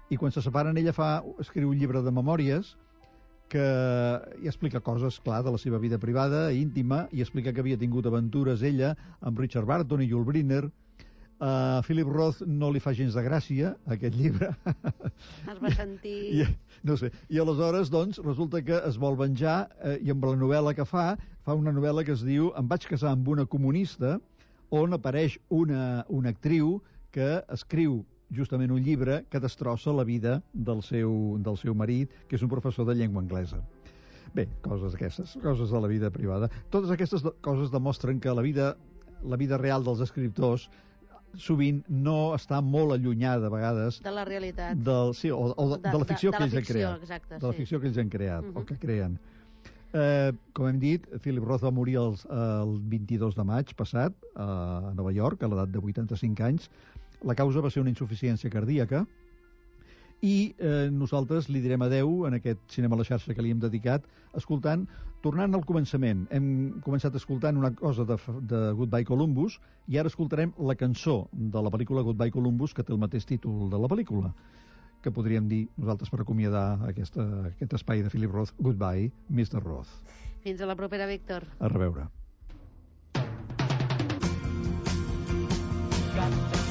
i quan se separen ella escriu un llibre de memòries que hi explica coses, clar, de la seva vida privada, íntima, i explica que havia tingut aventures ella amb Richard Burton i Yul Brynner. A Philip Roth no li fa gens de gràcia aquest llibre. Es va sentir... No sé. I aleshores, doncs, resulta que es vol venjar i amb la novel·la que fa una novel·la que es diu Em vaig casar amb una comunista, on apareix una actriu que escriu justament un llibre que destrossa la vida del seu marit, que és un professor de llengua anglesa. Bé, coses aquestes, coses de la vida privada. Totes aquestes coses demostren que la vida real dels escriptors sovint no està molt allunyada, a vegades, de la realitat. De la ficció que ells han creat. Exacte, de la ficció que ells han creat, o que creen. Com hem dit, Philip Roth va morir el 22 de maig passat a Nova York, a l'edat de 85 anys. La causa va ser una insuficiència cardíaca i nosaltres li direm adeu en aquest Cinema a la xarxa que li hem dedicat tornant al començament. Hem començat escoltant una cosa de Goodbye Columbus i ara escoltarem la cançó de la pel·lícula Goodbye Columbus, que té el mateix títol de la pel·lícula, que podríem dir nosaltres per acomiadar aquest espai de Philip Roth. Goodbye, Mr. Roth. Fins a la propera, Víctor. A reveure.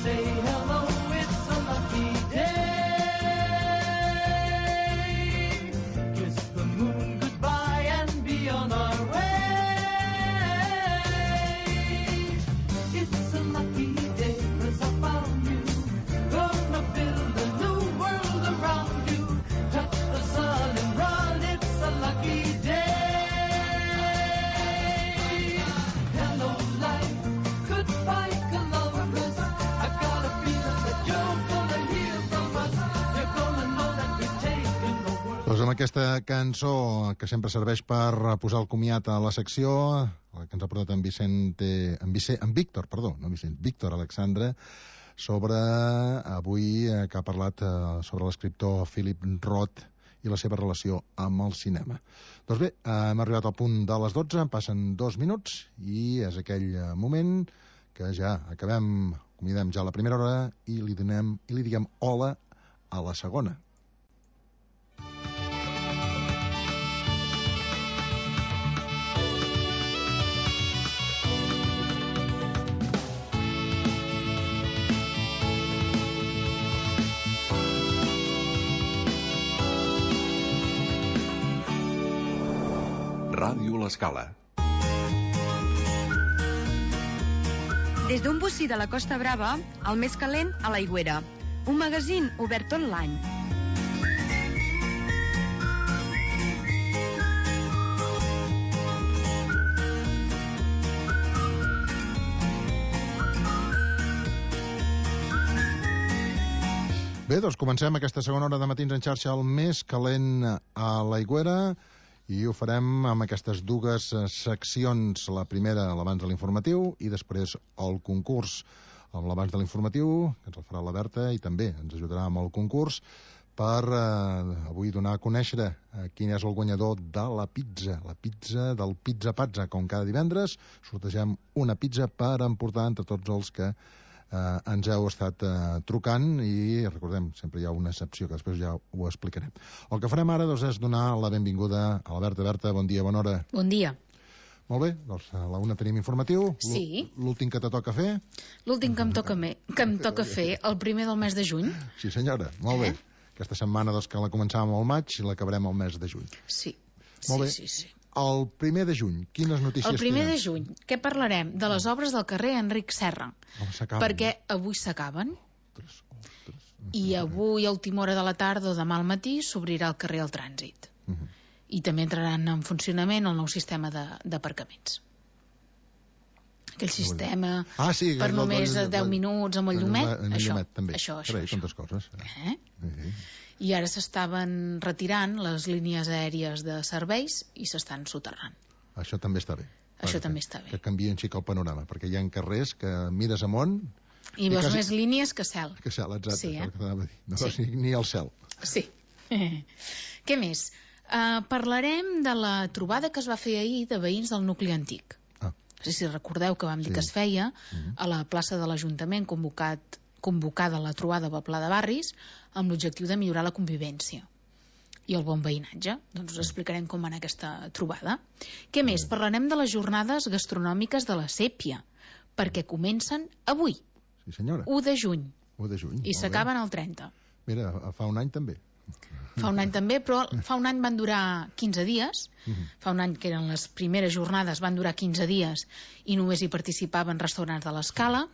Say hello, it's a lucky day. Kiss the moon goodbye and be on our way. It's a lucky day 'cause I found you. Gonna build a new world around you. Touch the sun and run, it's a lucky day. Hello life, goodbye Columbus. Doncs amb aquesta cançó que sempre serveix per posar el comiat a la secció, la que ens ha portat Víctor Alexandre, sobre avui que ha parlat sobre l'escriptor Philip Roth i la seva relació amb el cinema. Doncs bé, hem arribat al punt de les 12, passen 2 minuts i és aquell moment que ja acomiadem ja la primera hora i li diguem hola a la segona. Ràdio L'Escala. Des d'un bocí de la Costa Brava, el més calent a l'Aigüera. Un magazín obert tot l'any. Bé, doncs comencem aquesta segona hora de Matins en xarxa, el més calent a l'Aigüera, i ho farem amb aquestes dues seccions. La primera, l'abans de l'informatiu, i després el concurs. Amb l'abans de l'informatiu, que ens el farà la Berta, i també ens ajudarà amb el concurs per avui donar a conèixer quin és el guanyador de la pizza del Pizza Pazza. Com cada divendres, sortegem una pizza per emportar entre tots els que ens heu estat trucant, i recordem, sempre hi ha una excepció que després ja ho explicarem. El que farem ara, doncs, és donar la benvinguda a la Berta. Berta, bon dia, bona hora. Bon dia. Molt bé, doncs a la una tenim informatiu. Sí. L'últim que te toca fer? L'últim que em toca fer, el primer del mes de juny. Sí, senyora, molt bé. Aquesta setmana, doncs, que la començàvem al maig i l'acabarem al mes de juny. Sí. Molt bé. Sí. El primer de juny, quines notícies El primer tenen? de juny, què parlarem? De les obres del carrer Enric Serra. Perquè avui s'acaben. I avui, a última hora de la tarda o demà al matí, s'obrirà el carrer al trànsit. I també entraran en funcionament el nou sistema d'aparcaments. Aquell sistema per només 10 minuts amb el llumet. Això. Tantes coses. I ara s'estaven retirant les línies aèries de serveis i s'estan soterrant. Això també està bé. Que canvien xic el panorama, perquè hi ha carrers que mires amunt i veus més línies que cel. Que cel, exacte. Sí, no veus ni el cel. Sí. Què més? Parlarem de la trobada que es va fer ahir de veïns del nucli antic. No sé si recordeu que vam dir que es feia a la plaça de l'Ajuntament, convocada la trobada pel Pla de Barris, amb l'objectiu de millorar la convivència i el bon veïnatge. Doncs us explicarem com va anar aquesta trobada. Què més? Parlarem de les jornades gastronòmiques de la Sèpia, perquè comencen avui, Sí, senyora. 1 de juny, 1 de juny. i s'acaben el 30. Mira, fa un any també. Fa un any també, però fa un any van durar 15 dies. Fa un any que eren les primeres jornades, van durar 15 dies i només hi participaven restaurants de l'Escala.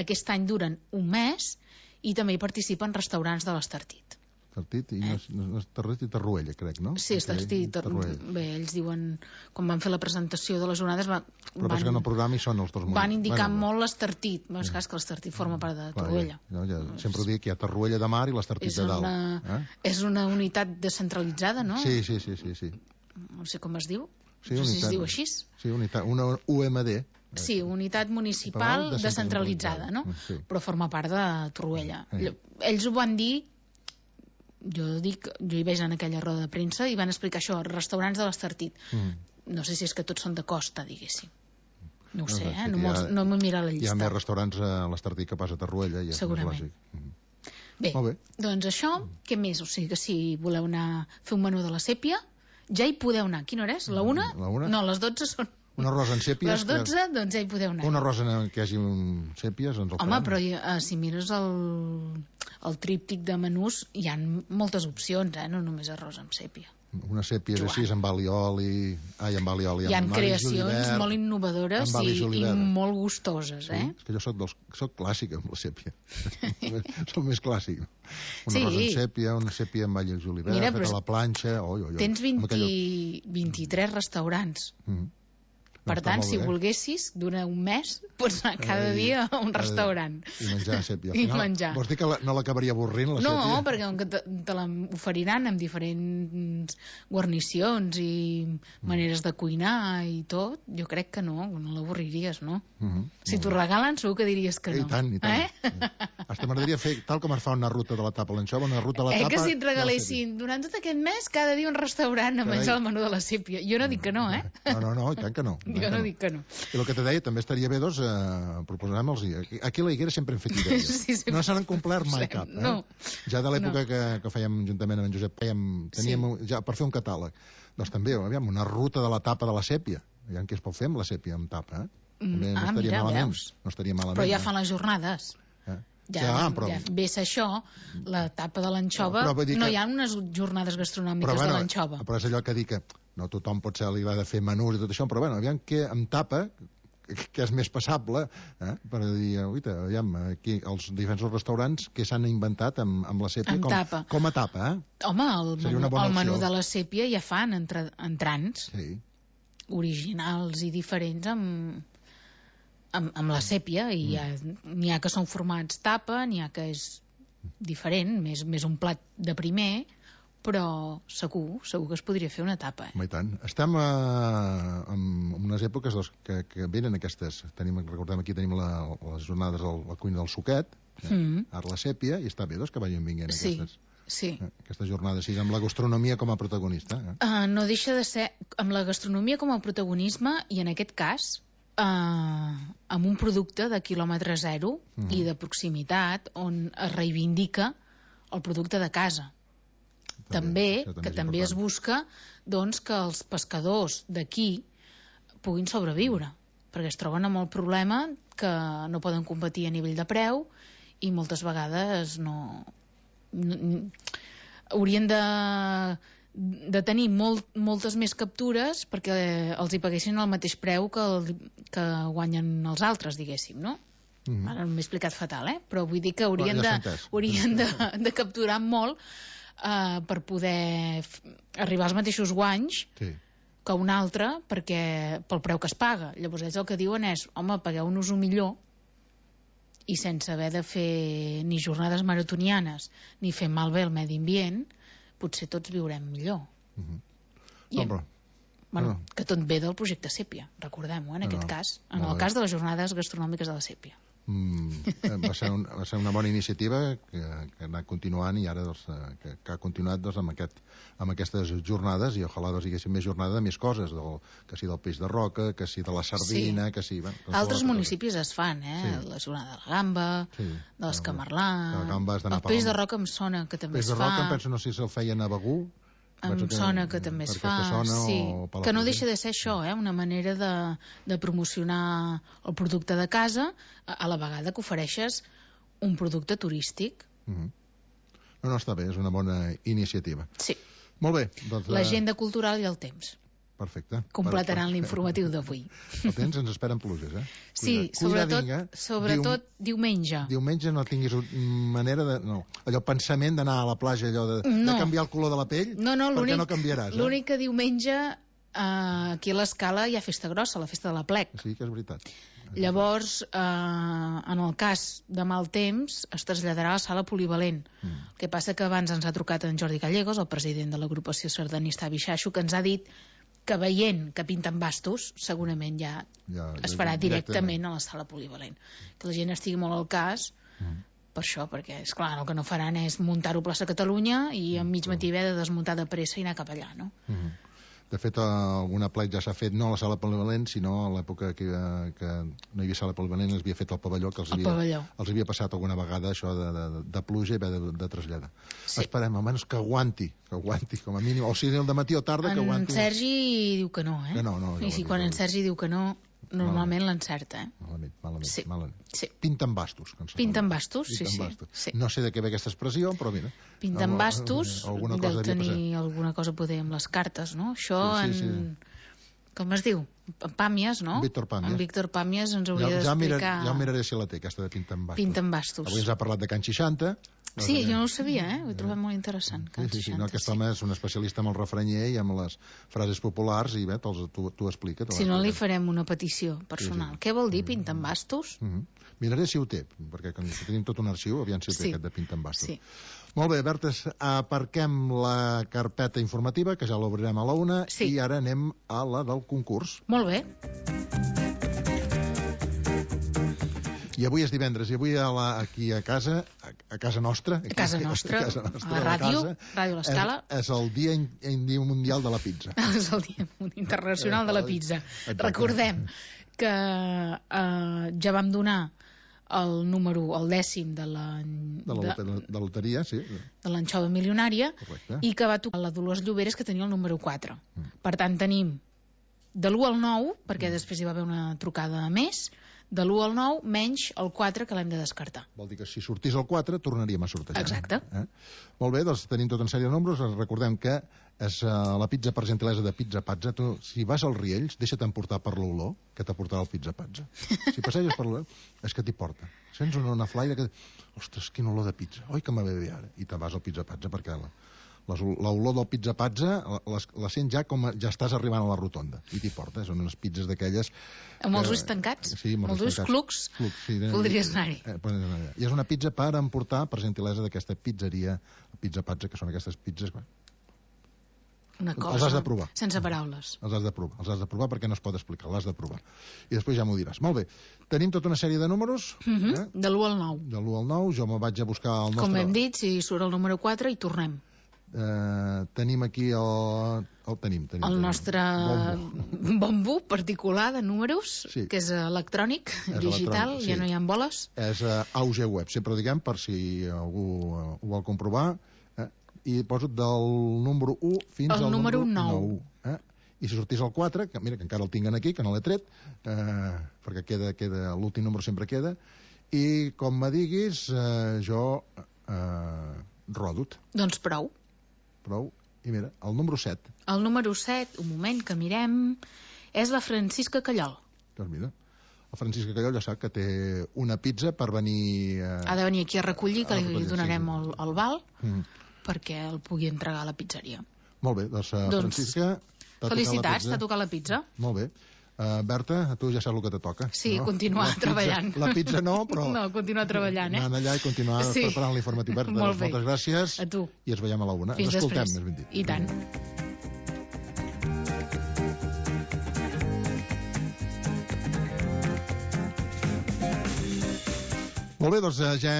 Aquest any duren un mes i també hi participen restaurants de l'Estartit. Tartit, i no és Tarret i Tarruella, crec, no? Sí, Estartit. Bé, ells diuen, quan van fer la presentació de les jornades, Però passa que en el programa hi són els dos van indicar molt l'Estartit. És clar, que l'Estartit forma part de Torroella. Sempre ho dic, hi ha Torroella de Mar i l'Estartit de dalt. És una unitat descentralitzada, no? Sí. No sé com es diu. Sí, no sé si es diu així. Sí, una UMD. Sí, unitat municipal descentralitzada, no? Sí. Però forma part de Torroella. Ells ho van dir, jo hi veig en aquella roda de premsa, i van explicar això, restaurants de l'Estartit. No sé si és que tots són de costa, diguéssim. No ho sé, no m'he mirat la llista. Hi ha més restaurants a l'Estartit que pas a Torroella, i és més lògic. Bé, doncs això, què més? O sigui que si voleu anar a fer un menú de la Sèpia, ja hi podeu anar. Quina hora és? La 1? No, les 12 són... Un arròs en sèpies... Les 12, doncs ja hi podeu anar. Un arròs en què hi hagi sèpies, ens el farem. Home, però si mires el tríptic de menús, hi ha moltes opcions, no només arròs amb sèpia. Una sèpia així, amb alioli... amb alioli. Hi ha creacions molt innovadores i molt gustoses, És que jo soc clàssic amb la sèpia. Soc més clàssic. Un arròs amb sèpia, una sèpia amb all i julivert, fet a la planxa... Tens 23 restaurants. Per tant, si volguessis, durant un mes, pots anar cada dia a un restaurant. I menjar sèpia. I menjar. Vols dir que no l'acabaria avorrint, la sèpia? No, perquè te l'oferiran amb diferents guarnicions i maneres de cuinar i tot, jo crec que no l'avorriries, no? Si t'ho regalen, segur que diries que no. I tant. Hasta m'agradaria fer, tal com es fa una ruta de la tapa a l'anxova, una ruta a la tapa... Que si et regalessin durant tot aquest mes, cada dia un restaurant a menjar el menú de la sèpia. Jo no dic que no, No, i tant que no. Jo no dic que no. I el que te deia, també estaria bé, doncs, proposarem-los... Aquí a la Higuera sempre hem fet idees. No se n'han complert mai cap. Ja de l'època que fèiem juntament amb en Josep, teníem ja per fer un catàleg. Doncs també, aviam, una ruta de la tapa de la sèpia. Aviam què es pot fer amb la sèpia amb tapa, També no estaria malament. No estaria malament. Però ja fan les jornades. Ja ves això, la tapa de l'anxova, no hi ha unes jornades gastronòmiques de l'anxova. Però és allò que dic que no tothom potser li va de fer menús i tot això, però aviam que amb tapa, que és més passable, per dir, aviam, aquí els diferents restaurants que s'han inventat amb la sèpia com a tapa, Home, el menú de la sèpia ja fan entrants originals i diferents amb la sèpia, i n'hi ha que són formats tapa, n'hi ha que és diferent, més un plat de primer, però segur que es podria fer una tapa. I tant. Estem en unes èpoques que venen aquestes, recordem aquí tenim les jornades de la cuina del suquet, ara la sèpia, i està bé que vagin vinguent aquestes jornades, amb la gastronomia com a protagonista. No deixa de ser amb la gastronomia com a protagonisme, i en aquest cas amb un producte de quilòmetre zero i de proximitat, on es reivindica el producte de casa. També es busca que els pescadors d'aquí puguin sobreviure, perquè es troben amb el problema que no poden competir a nivell de preu, i moltes vegades haurien de tenir moltes més captures perquè els hi paguessin el mateix preu que guanyen els altres, diguéssim, no? Ara m'he explicat fatal, però vull dir que haurien de capturar molt per poder arribar als mateixos guanys que un altre, pel preu que es paga. Llavors ells el que diuen és, home, pagueu-nos-ho millor, i sense haver de fer ni jornades maratonianes ni fer malbé el medi ambient, potser tots viurem millor. Que tot ve del projecte Sèpia, recordem-ho, en aquest cas, en el cas de les jornades gastronòmiques de la Sèpia. Va ser una bona iniciativa que ha anat continuant i ara que ha continuat amb aquestes jornades, i ojalà hi haguessin més jornades de més coses, que si del peix de roca, que si de la sardina, que si... Altres municipis es fan, la jornada de la gamba, de l'escamarlà, el peix de roca em sona que també es fa. El peix de roca em penso, no sé si el feien a Begur. Em sona que també es fa, sí. Que no deixa de ser això, una manera de promocionar el producte de casa a la vegada que ofereixes un producte turístic. No, està bé, és una bona iniciativa. Sí. Molt bé. Doncs, l'agenda cultural i el temps. Perfecte. Completaran l'informatiu d'avui. El temps ens esperen pluges, Sí, sobretot diumenge. Diumenge no tinguis manera de... No, allò pensament d'anar a la platja, allò de canviar el color de la pell, perquè no canviaràs. L'únic que diumenge aquí a l'Escala hi ha festa grossa, la festa de la plec. Sí, que és veritat. Llavors, en el cas de mal temps, es traslladarà a la sala polivalent. El que passa que abans ens ha trucat en Jordi Gallegos, el president de l'agrupació sardanista Bixaixo, que ens ha dit que veient que pinten bastos, segurament ja es farà directament a la sala polivalent. Que la gent estigui molt al cas, per això, perquè, esclar, el que no faran és muntar-ho a plaça Catalunya i en mig matí haver de desmuntar de pressa i anar cap allà, no? De fet, alguna plec ja s'ha fet, no a la sala polivalent, sinó a l'època que no hi havia sala polivalent, els havia fet el pavelló, que els havia passat alguna vegada això de pluja i haver de traslladar. Esperem, almenys que aguanti, com a mínim, o sigui, el dematí o tarda, que aguanti. En Sergi diu que no, I si quan en Sergi diu que no, normalment l'encerta, Malament. Pinten bastos. Pinten bastos, sí. No sé de què ve aquesta expressió, però mira. Pinten bastos, deu tenir alguna cosa a poder amb les cartes, no? Això com es diu? En Pàmies, no? En Víctor Pàmies ens hauria d'explicar... Ja miraré si la té, aquesta de Pinten bastos. Pinten bastos. Avui ens ha parlat de Can 60. Sí, jo no ho sabia, ho he trobat molt interessant. Sí, aquest home és un especialista amb el refranyer i amb les frases populars i bé, t'ho explica. Si no, li farem una petició personal. Què vol dir Pinten bastos? Miraré si ho té, perquè tenim tot un arxiu, aviam si ho té aquest de Pinten bastos. Molt bé, Berta, aparquem la carpeta informativa, que ja l'obrirem a la 1, i ara anem a la del concurs. Molt bé. I avui és divendres, i avui aquí a casa nostra, a la ràdio l'Escala, és el Dia Mundial de la Pizza. És el Dia Internacional de la Pizza. Recordem que ja vam donar el número, el 10è de la loteria, sí. De l'anxova milionària, i que va tocar la Dolors Lloberes, que tenia el número 4. Per tant, tenim de l'1 al 9, perquè després hi va haver una trucada més, de l'1 al 9 menys el 4, que l'hem de descartar. Vol dir que si sortís el 4 tornaríem a sortejar. Exacte. Molt bé, doncs tenim tota una sèrie de números. Recordem que és la pizza per gentilesa de Pizza Pazza. Tu, si vas als Riells, deixa't emportar per l'olor que t'aportarà el Pizza Pazza. Si passeges per l'olor, és que t'hi porta. Sents una flaire que... Ostres, quin olor de pizza. Oi, que m'ha bé ara. I te vas al Pizza Pazza perquè l'olor del Pizza Pazza la sents ja com ja estàs arribant a la rotonda i t'hi porta, són unes pizzas d'aquelles amb els ulls tancats, amb els ulls clucs, voldries anar-hi. I és una pizza per emportar per gentilesa d'aquesta pizzeria Pizza Pazza, que són aquestes pizzas una cosa, els has de provar sense paraules, els has de provar perquè no es pot explicar, l'has de provar i després ja m'ho diràs. Molt bé, tenim tota una sèrie de números de l'1 al 9, jo me vaig a buscar el nostre, com hem dit, si surt el número 4 i tornem. Tenim aquí el nostre bombo particular de números, que és electrònic, digital, ja no hi ha boles. És AUG Web, sempre diguem, per si algú ho vol comprovar, i poso del número 1 fins al número 9. I si sortís el 4, que mira que encara el tinguen aquí, que no l'he tret, perquè queda l'últim número sempre queda, i com me diguis, jo rodo-'t. Doncs prou. I mira, el número 7. El número 7, un moment que mirem, és la Francisca Callol. Doncs mira, la Francisca Callol ja sap que té una pizza per venir... Ha de venir aquí a recollir, que li donarem el val, perquè el pugui entregar a la pizzeria. Molt bé, doncs Francisca... Felicitats, t'ha tocat la pizza. Molt bé. Berta, a tu ja saps el que te toca. Sí, no? Continuar treballant. La pizza no, però... No, continuar treballant, Anant allà i continuar preparant l'informatiu. Berta, moltes gràcies. A tu. I ens veiem a la 1. Fins ens escoltem, després. Més ben dit. I tant. Molt bé, doncs ja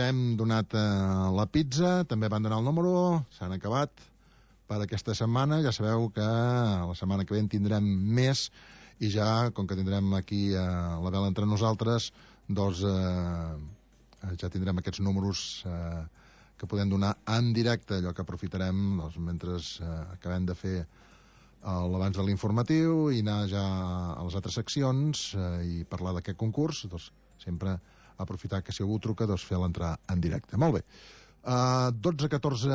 hem donat la pizza, també van donar el número, s'han acabat per aquesta setmana. Ja sabeu que la setmana que ve en tindrem més i ja, com que tindrem aquí la vela entre nosaltres, doncs ja tindrem aquests números que podem donar en directe, allò que aprofitarem doncs, mentre acabem de fer l'abans de l'informatiu i anar ja a les altres seccions i parlar d'aquest concurs, doncs sempre aprofitar que si algú truca, doncs fer l'entrar en directe. Molt bé. 12-14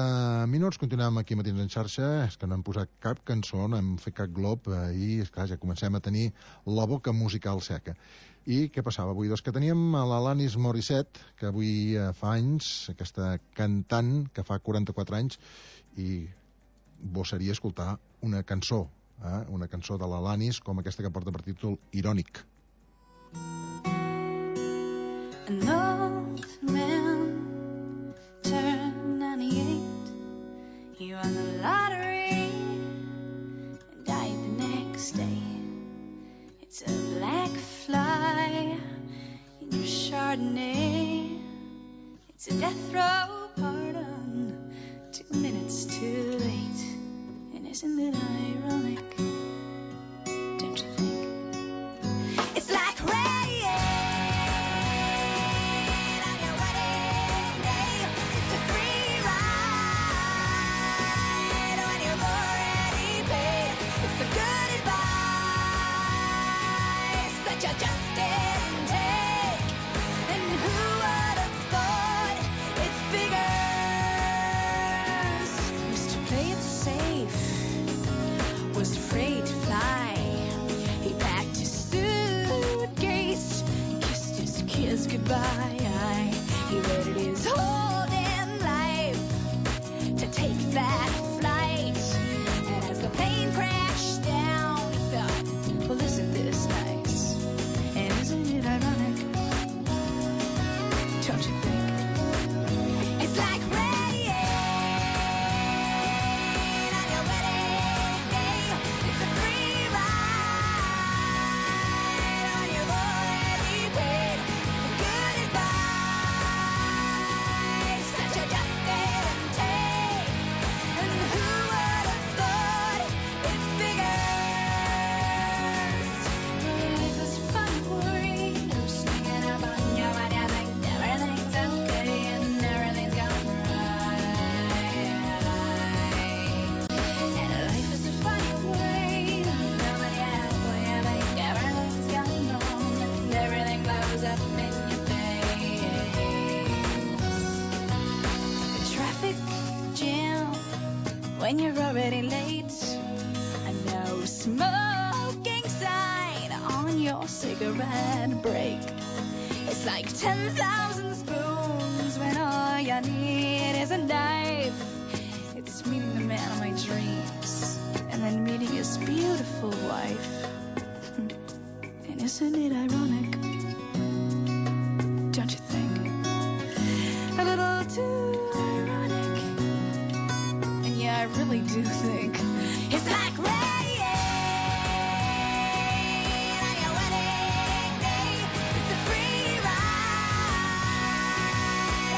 minuts, continuem aquí matins en xarxa. És que no hem posat cap cançó, no hem fet cap glob i, esclar, ja comencem a tenir la boca musical seca. I què passava avui? Doncs que teníem l'Alanis Morissette, que avui fa anys, aquesta cantant que fa 44 anys, i bo seria escoltar una cançó de l'Alanis com aquesta que porta per títol Irònic. An old man turned 98. He won the lottery and died the next day. It's a black fly in your Chardonnay. It's a death row pardon, 2 minutes too late. And isn't it ironic? Don't you think? It's like rain on your wedding day. It's a free ride when you've already paid. It's the good advice that you just didn't take. And who would have thought it figures? Used to play it safe, was afraid to fly. He packed his suitcase, kissed his kids goodbye. He waited his whole damn life to take that flight. And as the plane crashed down, he thought, well, isn't this nice? And isn't it ironic? Don't you think? It's like rain on your wedding day. It's a free ride when you've already paid. The good advice that you just didn't take. And who would have thought it figures? Life is fun for you, sneaking up on you when you think everything's okay and everything's gone right. And life is a funny way, nobody asks when you think everything's gone wrong and everything blows up in your face. The traffic jam when you're already late. A no smoking sign on your cigarette break. It's like 10,000 spoons when all you need is a knife. It's meeting the man of my dreams and then meeting his beautiful wife. And isn't it ironic? Don't you think? A little too ironic. And yeah, I really do think it's like rain on your wedding day. It's a free ride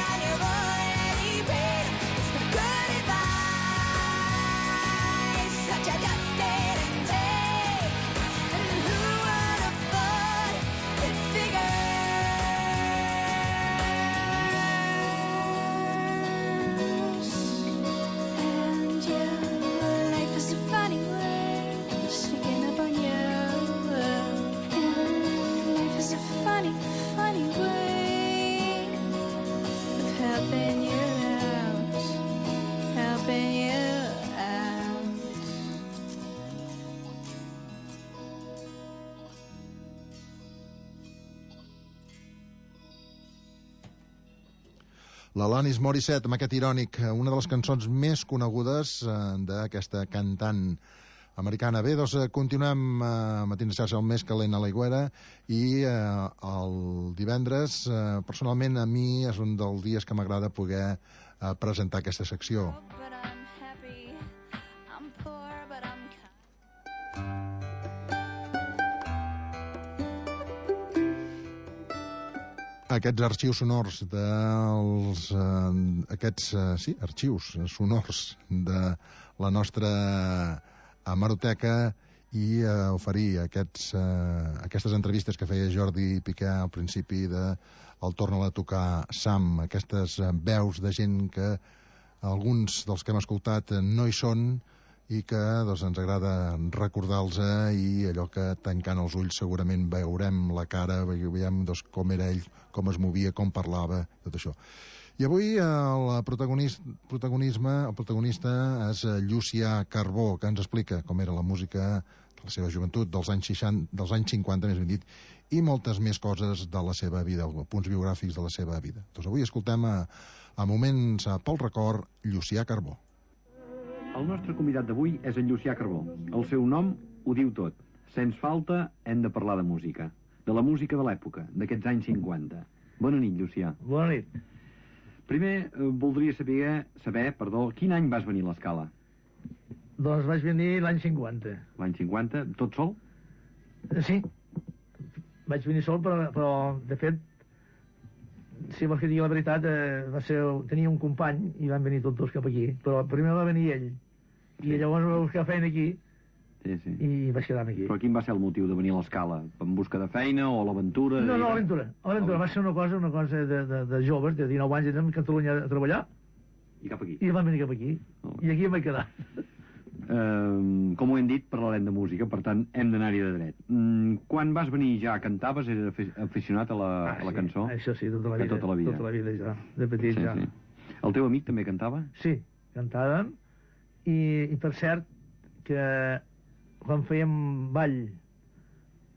on your already paid. It's the good advice that you just didn't take. And who would have thought it figures? And yeah, life is a funny way, sneaking up on you. And life is a funny, funny way of helping you out, helping you out. L'Alanis Morissette, amb aquest Irònic, una de les cançons més conegudes d'aquesta cantant americana. Bé, doncs continuem matins de xarxa el més calent a l'Aigüera i el divendres, personalment a mi és un dels dies que m'agrada poder presentar aquesta secció. But I'm happy. I'm poor, but I'm kind. Aquests arxius sonors arxius sonors de la nostra hemeroteca i oferir aquestes entrevistes que feia Jordi Piqué al principi de el Torna-la a tocar Sam, aquestes veus de gent que alguns dels que hem escoltat no hi són i que doncs, ens agrada recordar-los i allò que tancant els ulls segurament veurem la cara, veiem doncs, com era ell, com es movia, com parlava, tot això. I avui el protagonista és Llucià Carbó, que ens explica com era la música de la seva joventut, dels anys 50, més ben dit, i moltes més coses de la seva vida, punts biogràfics de la seva vida. Doncs avui escoltem a moments pel record Llucià Carbó. El nostre convidat d'avui és en Llucià Carbó. El seu nom ho diu tot. Sens falta hem de parlar de música. De la música de l'època, d'aquests anys 50. Bona nit, Llucià. Bona nit. Primer, voldria saber, quin any vas venir a l'Escala? Doncs vaig venir l'any 50. L'any 50? Tot sol? Sí. Vaig venir sol, però de fet, si vols que digui la veritat, tenia un company i van venir tots dos cap aquí, però primer va venir ell i llavors va buscar feina aquí i vaig quedar aquí. Però quin va ser el motiu de venir a l'Escala? En busca de feina o l'aventura? No, l'aventura. Va ser una cosa de joves, de 19 anys, anem a Catalunya a treballar i cap aquí. I van venir cap aquí i aquí em vaig quedar. Com ho hem dit, parlarem de música, per tant hem d'anar-hi de dret. Quan vas venir ja cantaves? Eres aficionat a la cançó? Això sí, tota la vida. Tota la vida ja, de petit ja. El teu amic també cantava? Sí, cantàvem i per cert que quan fèiem ball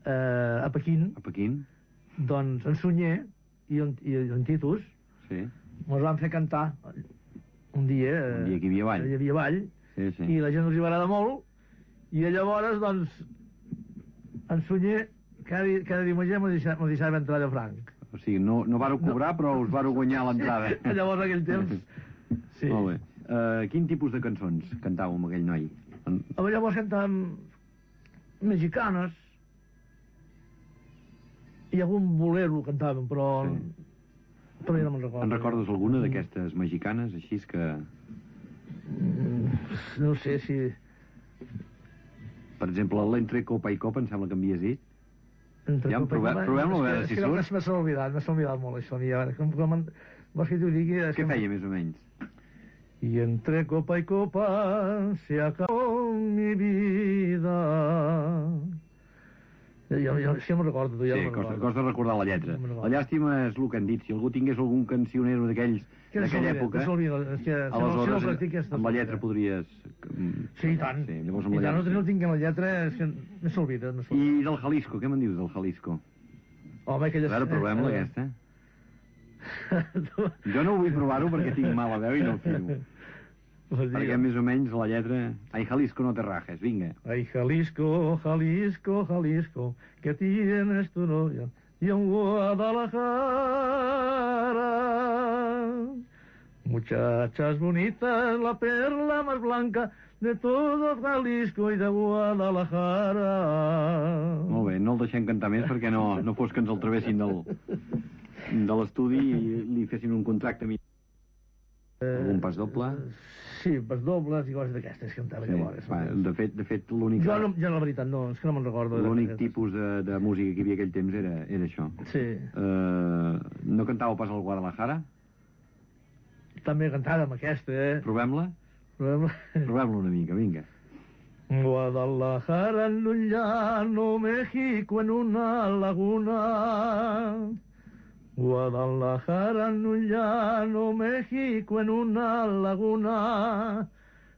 a Pequín, doncs en Sunyer i en Titus ens van fer cantar un dia que hi havia ball. I la gent els hi va agradar molt i llavors doncs en Sunyer cada diumenge m'ho deixava entrar de franc. O sigui, no vareu cobrar però us vareu guanyar l'entrada. Llavors aquell temps sí. Molt bé. Quin tipus de cançons cantàveu amb aquell noi? Llavors cantàvem mexicanes i algun bolero cantàvem però jo no me'n recordo. En recordes alguna d'aquestes mexicanes així que... No sé si... Per exemple, l'entre copa i copa, em sembla que m'havies dit. Provem-lo a veure si surt. M'ha oblidat molt això. Vols que t'ho digui? Què feia, més o menys? Y entre copa y copa se acabó mi vida. Jo me'n recordo. Costa recordar la lletra. La llàstima és el que han dit. Si algú tingués algun cancionero d'aquells d'aquella època, aleshores amb la lletra podries... Sí, i tant. I tant, no tinc la lletra, és que no s'olvida. I del Jalisco, què me'n dius del Jalisco? Home, aquella... A veure, provem-la aquesta. Jo no vull provar-ho perquè tinc mala veu i no ho fio. Perquè més o menys la lletra... Ai, Jalisco, no te rajes, vinga. Ai, Jalisco, Jalisco, Jalisco, que tienes tu novia y en Guadalajara. Muchachas bonitas, la perla más blanca de todo Jalisco y de Guadalajara. Molt bé, no el deixem cantar més perquè no fos que ens el travessin de l'estudi i li fessin un contracte a mi. Algun pas doble? Sí, pas dobles i coses d'aquestes que cantava llavors. De fet, l'únic... Jo, la veritat, no, és que no me'n recordo. L'únic tipus de música que hi havia aquell temps era això. Sí. No cantàveu pas al Guadalajara? També cantàvem aquesta, Provem-la? Provem-la una mica, vinga. Guadalajara en un llano, México en una laguna. Guadalajara en un llano, México en una laguna.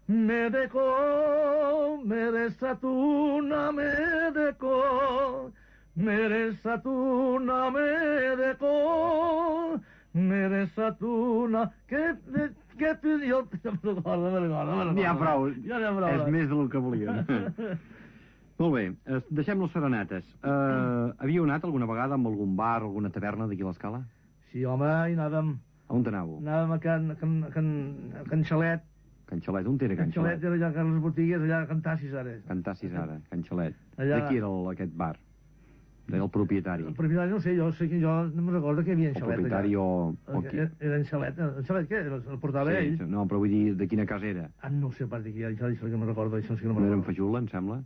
Me dejó, me desatuna, me dejó. Me desatuna, me dejó. Me desatuna, que pidió... N'hi ha prou, és més del que volíem. Molt bé, deixem les serenates. Havíeu anat alguna vegada amb algun bar, alguna taverna d'aquí a l'Escala? Sí, home, hi anàvem. On anàveu? Anàvem a Can Xalet. Can Xalet, on era Can Xalet? Era allà a les botigues, allà a Cantassis, ara. Cantassis, ara, Can Xalet. De qui era aquest bar? del propietari. El propietari no sé, jo sé que jo no me'n recordo que hi havia en El xalet propietari allà. o qui? Era en xalet. En xalet què? El portava ell? No, però vull dir, de quina casa era? No sé pas de qui, això que me'n recordo, això sí que no me'n No era en recordo. Fajula, em sembla?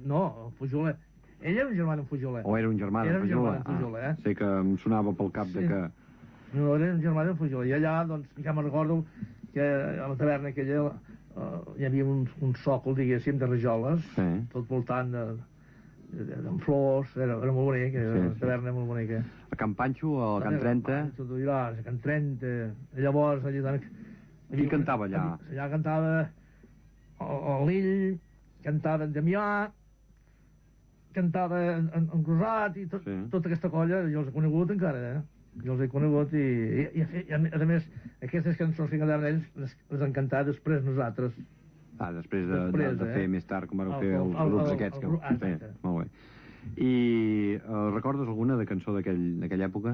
No, Fujole. Ell era un germà d'en Fujole. O era un germà Era d'en un germà Fajula? d'en Fujole, Sé que em sonava pel cap de que... No, era un germà d'en Fujole. I allà, doncs, ja me'n recordo que a la taverna aquella hi havia un sòcol, diguéssim, de rajoles, tot voltant amb flors, era molt bonic, una taverna molt bonica. A Can Panxo, a Can Trenta... A Can Trenta... Llavors, allà... Qui cantava allà? Allà cantava el Lill, cantava en Damià, cantava en Cruzat, i tota aquesta colla, jo els he conegut encara, Jo els he conegut i a més, aquestes cançons que cantaven ells les han cantat després nosaltres. Després de fer més tard, com van fer els grups aquests. Molt bé. I recordes alguna de cançó d'aquella època?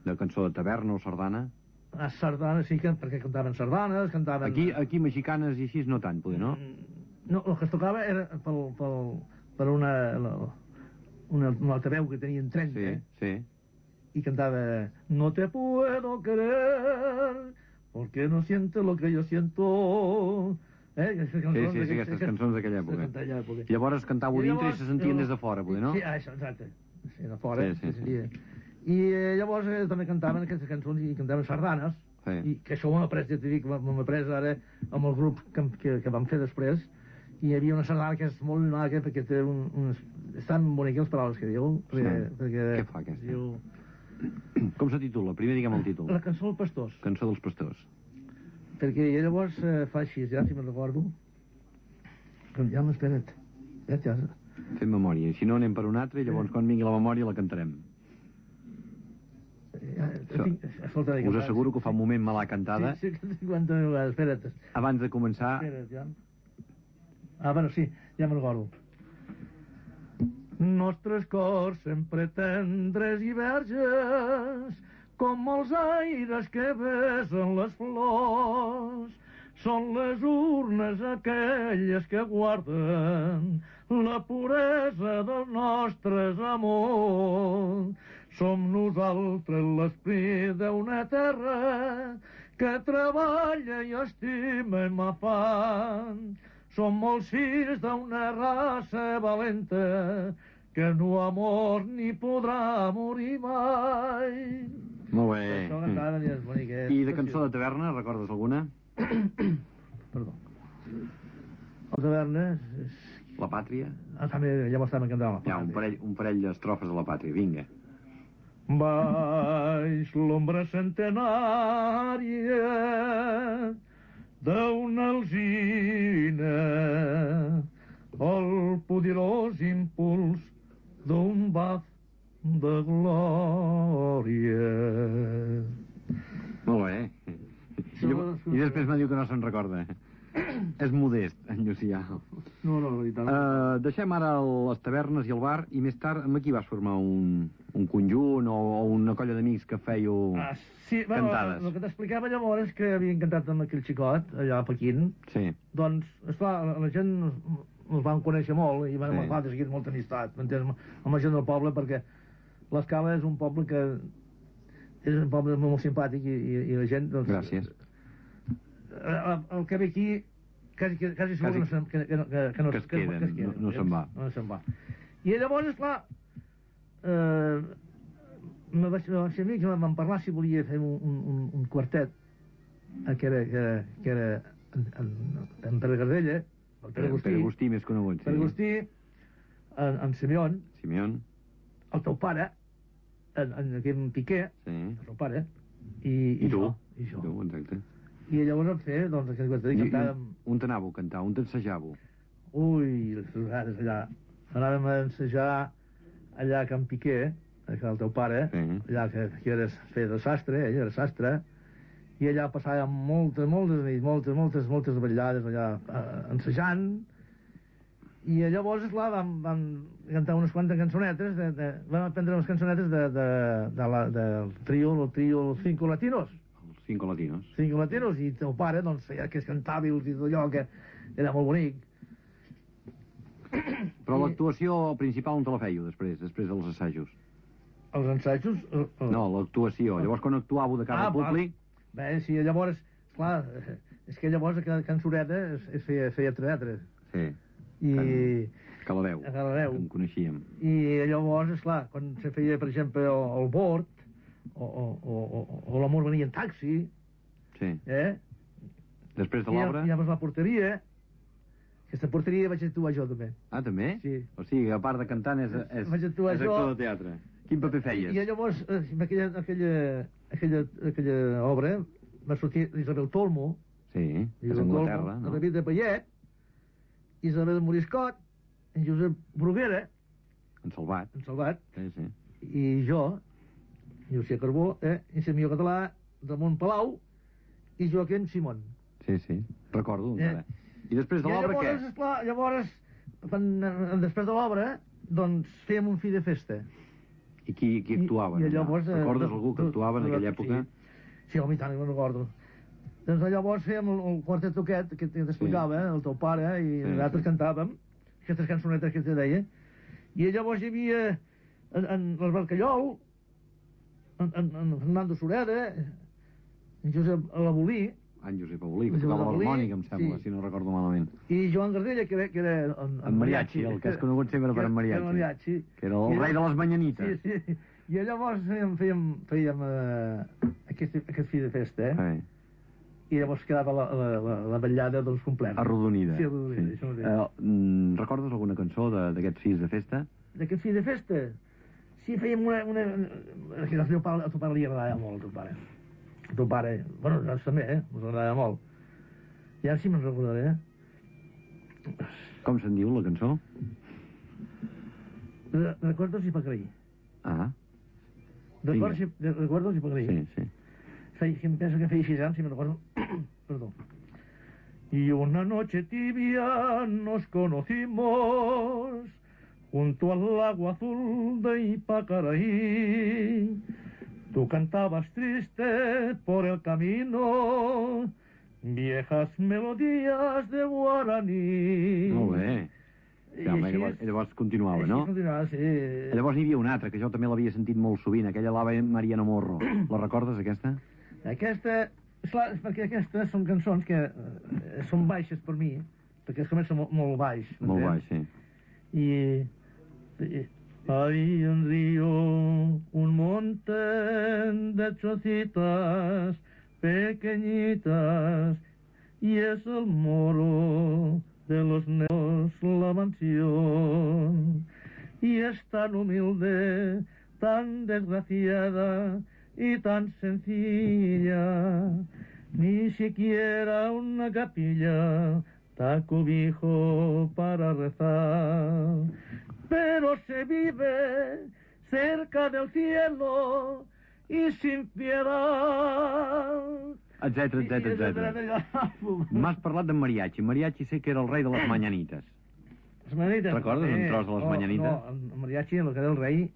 De cançó de taverna o sardana? Sardanes sí, perquè cantaven sardanes, cantaven... Aquí mexicanes i així no tant, poder, no? No, el que es tocava era per una altra veu que tenien 30. Sí. Y cantaba: no te puedo querer porque no sientes lo que yo siento. Sí, aquestes cançons d'aquella època. I llavors cantava dintre i se sentien des de fora, poder, no? Sí, això, exacte. Sí, de fora. I llavors també cantaven aquestes cançons i cantaven sardanes, i que això ho hem après, ja t'he dit, ho hem après ara amb el grup que vam fer després, i hi havia una sardana que és molt maca perquè té estan boniques les paraules que diu. Què fa aquesta? Com se titula? Primer diguem el títol. La cançó dels pastors. Cançó dels pastors. Perquè llavors fa així, ja si me'n recordo. Ja m'espera't. Ja. Fem memòria. Si no anem per un altre i llavors quan vingui la memòria la cantarem. Us asseguro que fa un moment me l'ha cantada. Sí, 50 vegades. Espera't. Abans de començar... Espera't, ja. Bueno, sí, ja me'n recordo. Nostres cors sempre tendres i verges, com els aires que besen les flors, són les urnes aquelles que guarden la puresa dels nostres amors. Som nosaltres l'esprit d'una terra que treballa i estima i m'afan. Som molts fills d'una raça valenta que no ha mort ni podrà morir mai. Molt bé. I de cançó de taverna, recordes alguna? Perdó. La taverna... La pàtria? També, ja m'estàvem cantant la pàtria. Un parell d'estrofes de la pàtria, vinga. Baix l'ombra centenària d'una alzina, el poderós impuls d'un baf de glòria. Molt bé. I després me diu que no se'n recorda. És modest, en Llucià. No, i tant. Deixem ara les tavernes i el bar, i més tard amb qui vas formar un conjunt o una colla d'amics que fèieu cantades? El que t'explicava llavors és que havien cantat amb aquell xicot, allà a Pequín. Sí. Doncs, esclar, la gent ens van conèixer molt i vam agafar de seguit molta amistat, m'entens, amb la gent del poble, perquè l'Escala és un poble que és un poble molt simpàtic i la gent... Doncs, gràcies. El que ve aquí quasi segur que no es queda, no se'n va. No se'n va. I llavors, esclar, me vaig ser amics, vam parlar si volia fer un quartet que era en Pere Gardella, el Pere Agustí més conegut, sí. Pere Agustí, en Simeón, el teu pare, en Piqué, el teu pare, i jo. I tu, exacte. I llavors vam fer, doncs, aquest quartet, i cantàvem... On t'anàveu a cantar? On t'ensejàveu? Ui, les vegades allà. Anàvem a ensejar allà a Can Piqué, el teu pare, allà que feia de sastre, ell era sastre, i allà passàvem moltes nits, moltes vetllades allà ensejant, i llavors, esclar, vam cantar unes quantes cançonetes, vam aprendre unes cançonetes del trio, los Cinco Latinos. Cinco Latinos, i el teu pare, doncs, feia que es cantava i tot allò, que era molt bonic. Però l'actuació principal on te la fèieu després dels assajos? Els ensajos... No, l'actuació. Llavors, quan actuàveu de cara al públic... Bé, sí, llavors, clar, és que llavors a Can Sureda es feia teatre. Sí. I... A Caladeu. A Caladeu. En coneixíem. I llavors, esclar, quan se feia, per exemple, el bord, o l'amor venia en taxi... Sí. Després de l'obra... I llavors la porteria... Aquesta porteria vaig actuar jo, també. Ah, també? Sí. O sigui, a part de cantant, és actor de teatre. Quin paper feies? I llavors, en aquella obra, va sortir Isabel Tolmo, sí, és Anglaterra, no? David de Payet, Isabel Moriscot, en Josep Bruguera, en Salvat, sí. I jo, Llucia Carbó, Insemió Català, Ramon Palau i Joaquim Simón. Sí, recordo encara. I després de l'obra, què? Esclar, llavors, després de l'obra, doncs fèiem un fi de festa. I qui actuava? Recordes algú que actuava en aquella època? Sí, home, i tant, no recordo. Doncs llavors fèiem el quartet aquest que t'explicava, el teu pare, i nosaltres cantàvem aquestes cançonetes que te deia. I llavors hi havia en l'Albert Callol, en Fernando Sureda, en Josep Alabolí, en Josep Abolí, que tocava l'harmònica, em sembla, si no recordo malament. I Joan Gardella, que era en mariachi, el que és conegut sempre per en mariachi. Que era el rei de les Mañanites. Sí. I llavors fèiem aquest fi de festa, i llavors quedava la vetllada dels complets. Arrodonida. Sí, arrodonida, això mateix. Recordes alguna cançó d'aquests fills de festa? D'aquest fi de festa? Sí, fèiem una... A tu pare li agradava molt, a tu pare. A tu pare... Bueno, nosaltres també, us agradava molt. I ara sí me'n recordaré, Com se'n diu, la cançó? Recuerdos y Pacreí. Ah. Recuerdos y Pacreí. Sí. Penso que feia 6 anys, si me'n recordo. Perdó. Y una noche tibia nos conocimos junto al lago azul de Ipacaraí. Tú cantabas triste por el camino viejas melodías de guaraní. Molt bé. Llavors continuava, no? Continuava, sí. Llavors n'hi havia una altra, que jo també l'havia sentit molt sovint, aquella l'Ave Mariano Morro. La recordes, aquesta? Aquesta... Esclar, perquè aquestes són cançons que són baixes per mi, perquè es comença molt baix. Molt baix, sí. I hay un río, un monte de chocitas pequeñitas, y es el moro de los negros la mansión, y es tan humilde, tan desgraciada y tan sencilla, ni siquiera una capilla da cobijo para rezar, pero se vive cerca del cielo y sin piedad. Etcètera. M'has parlat d'en Mariachi. Mariachi sé que era el rei de les Mañanites. Les Mañanites? Recordes un tros de les Mañanites? No, en Mariachi el que era el rei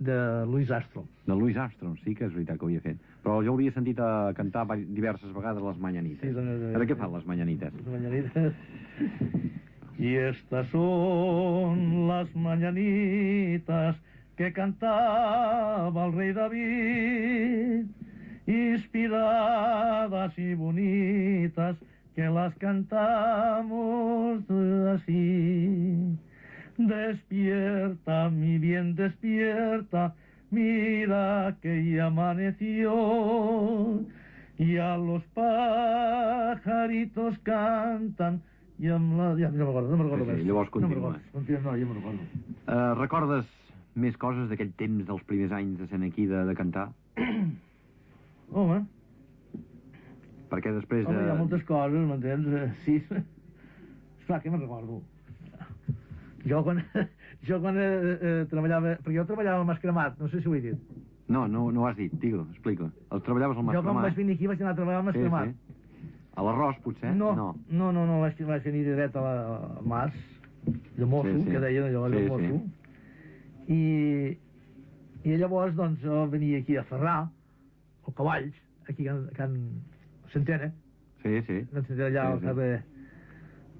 de Louis Armstrong. De Louis Armstrong, sí que és veritat que ho havia fet. Però jo l'havia sentit a cantar diverses vegades les Mañanites. Sí, ara què fan les Mañanites? Les Mañanites... Y estas son las mañanitas que cantaba el rey David, inspiradas y bonitas, que las cantamos así. Despierta, mi bien, despierta, mira que ya amaneció, y a los pajaritos cantan. Ja no me'n recordo més. Llavors continua. No, ja me'n recordo. Recordes més coses d'aquell temps dels primers anys de ser aquí de cantar? Home. Perquè després Home, hi ha moltes coses, m'entens? Sí. Esclar, que me'n recordo. Jo quan treballava... Perquè jo treballava al Mascremat, no sé si ho he dit. No ho has dit, digue-ho, explica. Treballaves al Mascremat. Jo quan vaig venir aquí vaig anar a treballar al Mascremat. Sí. A l'arròs, potser? No, vaig venir dret a Mas, de mosso, que deien allò, de mosso. I llavors, doncs, jo venia aquí a Ferrar, o Cavalls, aquí a Can Centena. Sí. Can Centena, allà al carrer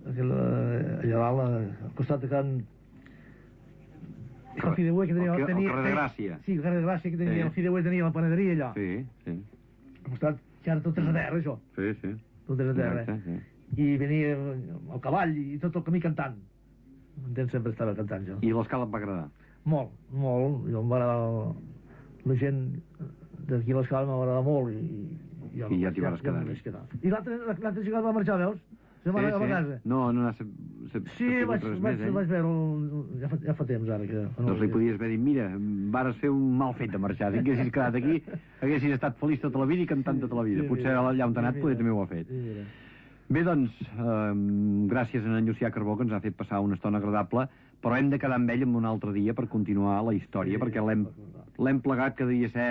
allà dalt, al costat de Can... El Fideuer que tenia... El carrer de Gràcia. Sí, el carrer de Gràcia que tenia, el Fideuer tenia la panaderia allà. Sí. Al costat, que ara tot és a terra, això. Sí. Tot és a terra. I venia el cavall i tot el camí cantant. Un temps sempre estava cantant, jo. I l'escala et va agradar? Molt. Jo em va agradar... La gent d'aquí a l'escala m'ha agradat molt I ja t'hi vas quedar. I l'altre jugador va marxar, veus? Se va anar a casa. No anà... Sí, vaig veure ja fa temps ara que... Doncs li podies haver dit, mira, vares fer un mal fet de marxar. Si haguessis quedat aquí, haguessis estat feliç tota la vida i cantant tota la vida. Potser allà on t'ha anat poder també ho ha fet. Bé, doncs, gràcies a en Llucià Carbó, que ens ha fet passar una estona agradable, però hem de quedar amb ell en un altre dia per continuar la història, perquè l'hem plegat que devia ser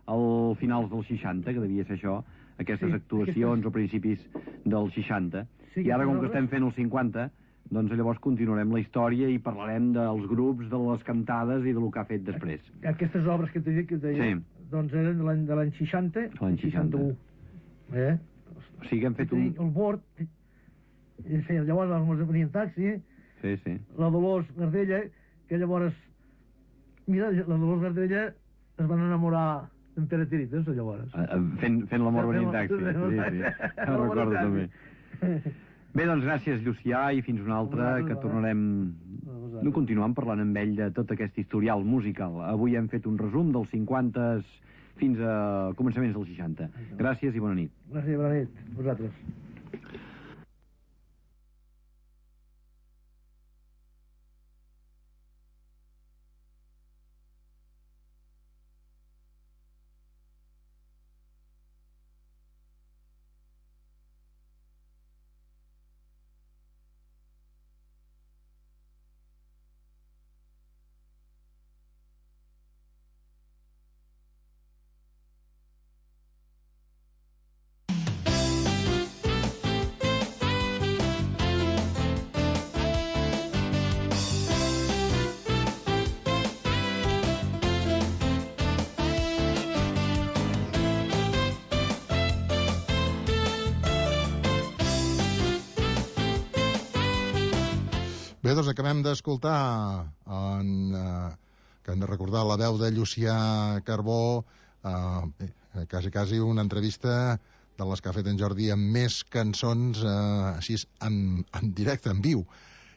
al finals dels 60, que devia ser això, aquestes actuacions o principis dels 60. I ara, com que estem fent els 50, doncs llavors continuarem la història i parlarem dels grups, de les cantades i del que ha fet després. Aquestes obres que t'he dit, doncs eren de l'any 60, 61. O sigui que hem fet un... El Bord, llavors els venien taxi, la Dolors Gardella, que llavors... Mira, la Dolors Gardella es van enamorar d'en Pere Tirites, llavors. Fent l'amor venint taxi. Sí. Ho recordo també. Bé, doncs gràcies, Llucià, i fins una altra, que tornarem... No continuem parlant amb ell de tot aquest historial musical. Avui hem fet un resum dels 50 fins a començaments dels 60. Gràcies i bona nit. Gràcies i bona nit, vosaltres. Bé, doncs acabem d'escoltar que hem de recordar la veu de Llucià Carbó, quasi una entrevista de les que ha fet en Jordi amb més cançons així en directe, en viu,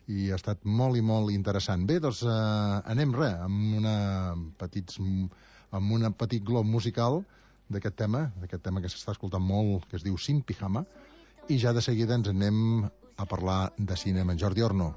i ha estat molt i molt interessant. Bé, doncs anem amb un petit glob musical d'aquest tema que s'està escoltant molt, que es diu Sin Pijama, i ja de seguida ens anem a parlar de cinema. En Jordi Orno.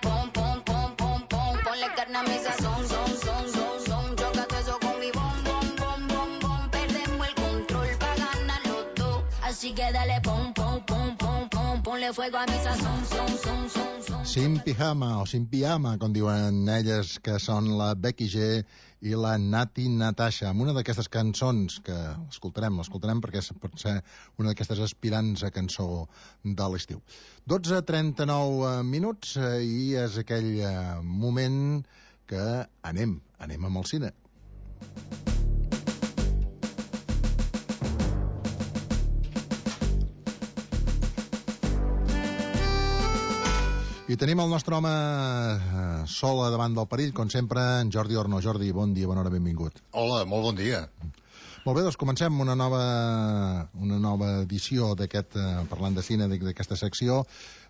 Pom, pom, pom, pom, pom. ponle carne a mi sazón, son. Choca todo eso con mi bom, bom. Perdemos el control pa' ganar los dos. Así que dale pom, ponle fuego a mi sazón, son. Sin pijama o sin pijama, com diuen elles, que són la Becky G i la Nati Natasha, amb una d'aquestes cançons que l'escoltarem perquè pot ser una d'aquestes aspirants a cançó de l'estiu. 12:39 minuts i és aquell moment que anem amb el cine. I tenim el nostre home sol davant del perill, com sempre, en Jordi Orno. Jordi, bon dia, bona hora, benvingut. Hola, molt bon dia. Molt bé, doncs comencem una nova edició d'aquest, parlant de cine, d'aquesta secció.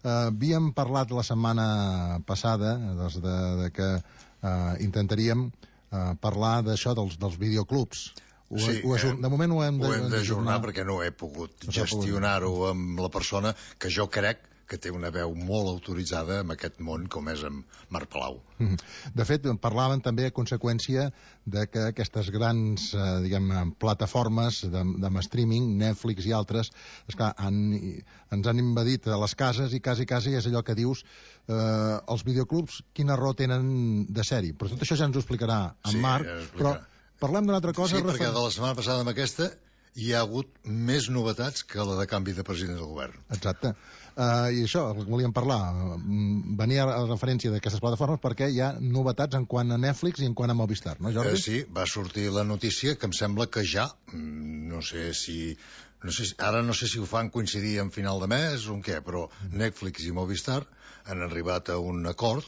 Havíem parlat la setmana passada de que intentaríem parlar d'això, dels videoclubs. De moment ho hem d'ajornar perquè no he pogut gestionar-ho amb la persona que jo crec que té una veu molt autoritzada en aquest món, com és en Marc Palau. De fet, parlaven també a conseqüència de que aquestes grans, plataformes de streaming, Netflix i altres, esclar, ens han invadit a les cases i quasi és allò que dius, els videoclubs, quina raó tenen de ser-hi. Però tot això ja ens ho explicarà en Marc, però parlem d'una altra cosa. Sí, perquè de la setmana passada amb aquesta hi ha hagut més novetats que la de canvi de president del govern. Exacte. I això, volíem parlar. Venia a referència d'aquestes plataformes perquè hi ha novetats en quant a Netflix i en quant a Movistar, no, Jordi? Sí, va sortir la notícia que em sembla que ja, no sé si ho fan coincidir en final de mes o en què, però Netflix i Movistar han arribat a un acord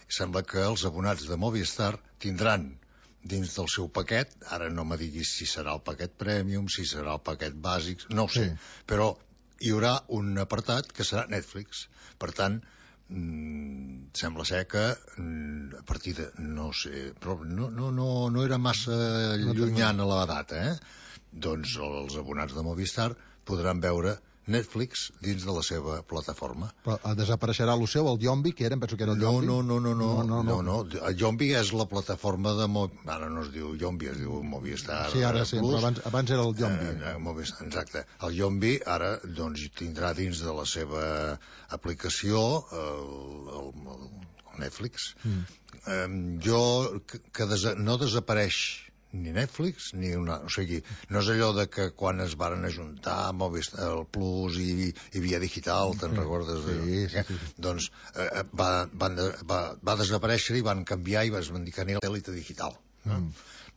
i sembla que els abonats de Movistar tindran dins del seu paquet, ara no me diguis si serà el paquet premium, si serà el paquet bàsic, no ho sé, però hi haurà un apartat que serà Netflix. Per tant, sembla ser que a partir de, no sé, però no era massa llunyana la data, doncs els abonats de Movistar podran veure Netflix dins de la seva plataforma. Però desapareixerà el seu, el Yombi, que penso que era el Yombi. No. El Yombi és la plataforma de... Ara no es diu Yombi, es diu Movistar. Sí, ara sí, però abans era el Yombi. Exacte. El Yombi ara doncs tindrà dins de la seva aplicació el Netflix. No desapareix ni Netflix, ni una... O sigui, no és allò de que quan es varen ajuntar Movistar, el Plus i Via Digital, te'n recordes? Sí. Doncs va desaparèixer i van canviar i van dir que anirà a l'elite digital.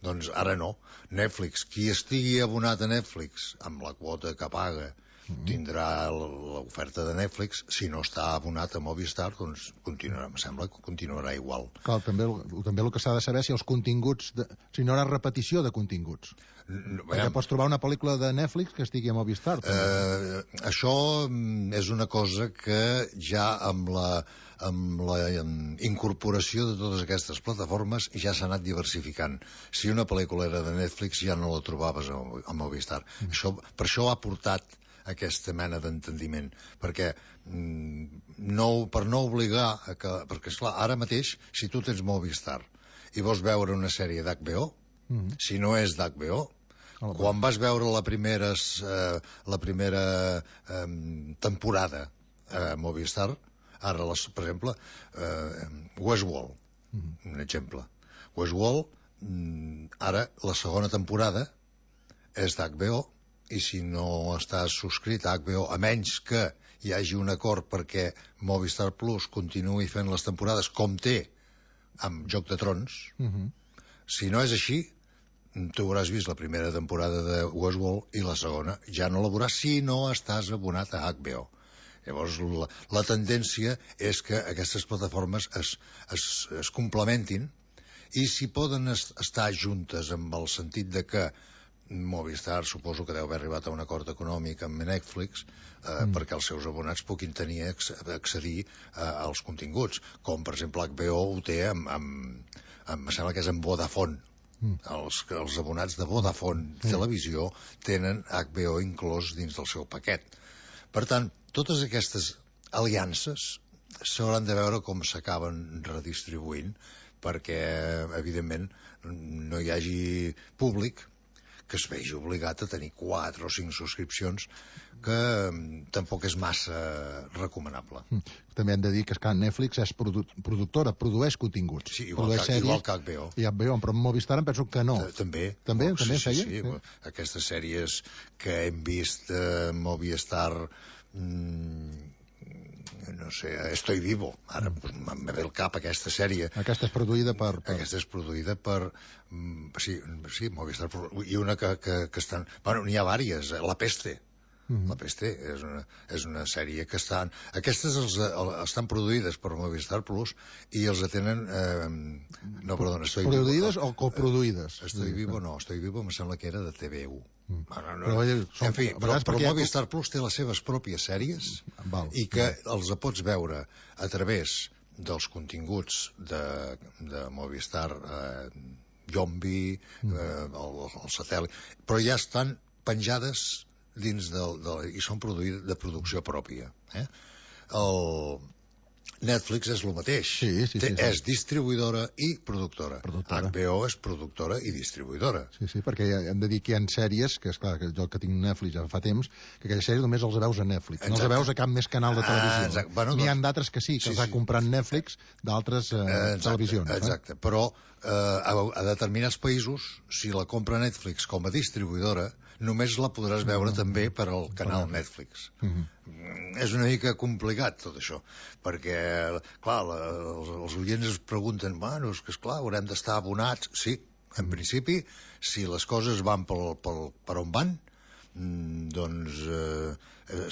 Doncs ara no. Netflix, qui estigui abonat a Netflix amb la quota que paga tindrà l'oferta de Netflix. Si no està abonat a Movistar, doncs em sembla que continuarà igual. Clar, també el que s'ha de saber si els continguts, si no hi haurà repetició de continguts. Perquè pots trobar una pel·lícula de Netflix que estigui a Movistar. Això és una cosa que ja amb la incorporació de totes aquestes plataformes ja s'ha anat diversificant. Si una pel·lícula era de Netflix ja no la trobaves a Movistar. Per això ha portat aquesta mena d'entendiment, perquè per no obligar perquè esclar, ara mateix si tu tens Movistar i vols veure una sèrie d'HBO, si no és d'HBO, quan vas veure la primera temporada a Movistar, ara per exemple Westworld, un exemple, Westworld ara la segona temporada és d'HBO, i si no estàs subscrit a HBO, a menys que hi hagi un acord perquè Movistar Plus continuï fent les temporades com té amb Joc de Trons, si no és així, tu hauràs vist la primera temporada de Westworld i la segona ja no la veuràs si no estàs abonat a HBO. Llavors, la tendència és que aquestes plataformes es complementin i si poden estar juntes amb el sentit de que Movistar suposo que deu haver arribat a un acord econòmic amb Netflix perquè els seus abonats puguin accedir als continguts, com per exemple HBO ho té em sembla que és amb Vodafone. Els abonats de Vodafone Televisió tenen HBO inclòs dins del seu paquet. Per tant, totes aquestes aliances s'hauran de veure com s'acaben redistribuint, perquè, evidentment, no hi hagi públic que es vegi obligat a tenir 4 o 5 subscripcions, que tampoc és massa recomanable. També hem de dir que Netflix és productora, produeix continguts. Sí, igual que HBO. I HBO, però en Movistar em penso que no. També. També sí, feia? Sí. Aquestes sèries que hem vist a Movistar... no sé, Estoy Vivo, ara em ve el cap aquesta sèrie. Aquesta és produïda per... Aquesta és produïda per... Sí, Movistar, i una que estan... Bueno, n'hi ha vàries, La Peste. La Peste és una sèrie que estan... Aquestes estan produïdes per Movistar Plus i els atenen... No, perdona, Estoy Vivo... Produïdes o coproduïdes? Estoy Vivo no, Estoy Vivo em sembla que era de TV1. En fi, però Movistar Plus té les seves pròpies sèries i que els pots veure a través dels continguts de Movistar, Yombi, el satèl·lit, però ja estan penjades dins i són de producció pròpia. El Netflix és el mateix. Sí. És distribuïdora i productora. HBO és productora i distribuïdora. Sí, perquè hem de dir que hi ha sèries, que és clar, que jo que tinc Netflix ja fa temps, que aquelles sèries només els veus a Netflix. No els veus a cap més canal de televisió. N'hi ha d'altres que sí, que els ha comprat Netflix d'altres televisions. Exacte, però a determinats països, si la compra Netflix com a distribuïdora, només la podràs veure també per al canal Netflix. És una mica complicat tot això, perquè, clar, els oients es pregunten, bueno, és que esclar, haurem d'estar abonats. Sí, en principi, si les coses van per on van, doncs